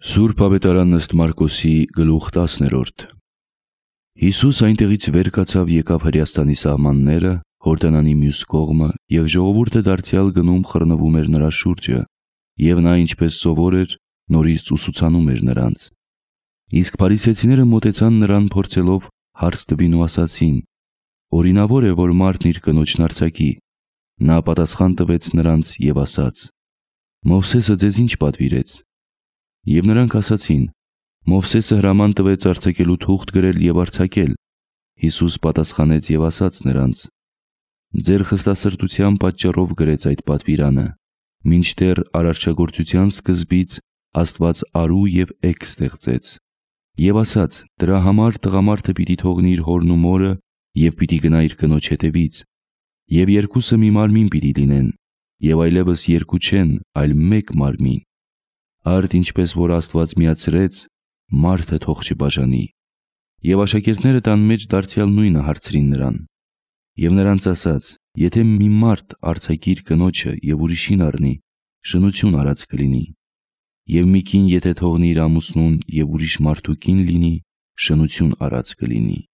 Սուրբ Ավետարան ըստ Մարկոսի գլուխ 10-րդ։ Հիսուս այնտեղից վեր կացավ, եկավ Հրեաստանի սահմանները, Հորդանանի մյուս կողմը, և ժողովուրդը դարձյալ գնում խռնվում էր նրա շուրջը, և նա ինչպես սովոր էր, նորից ուսուցանում էր նրանց։ Իսկ փարիսեցիները մոտեցան նրան փորձելով հարց տվին ու ասացին. «Օրինավոր է, որ մարդն իր կնոջն արձակի»։ Նա պատասխան տվեց նրանց և ասաց. «Մովսեսը ձեզ ինչ պատվիրեց»։ Եվ նրանք ասացին. «Մովսեսը հրաման տվեց արձակելու թուղթ գրել և արձակել»։ Հիսուս պատասխանեց և ասաց նրանց. «Ձեր խստասրտության պատճառով գրեց այդ պատվիրանը, մինչդեռ արարչագործության սկզբից Աստված արու և էգ ստեղծեց, և ասաց. դրա համար տղամարդը պիտի թողնի իր հորն ու մորը և պիտի գնա իր կնոջ հետևից, և երկուսը մի մարմին պիտի լինեն, և այլևս երկու չեն, այլ մեկ մարմին։ Արդ ինչպես որ Աստված միացրեց, մարդը թող չբաժանի»։ Եվ աշակերտները տան մեջ դարձյալ նույնը հարցրին նրան։ Եվ նրանց ասաց. «Եթե մի մարդ արձակի իր կնոջը և ուրիշին առնի, շնություն արած կլինի, և մի կին եթե թողնի իր ամուսնուն և ուրիշ մարդու կին լինի, շնություն արած կլինի»։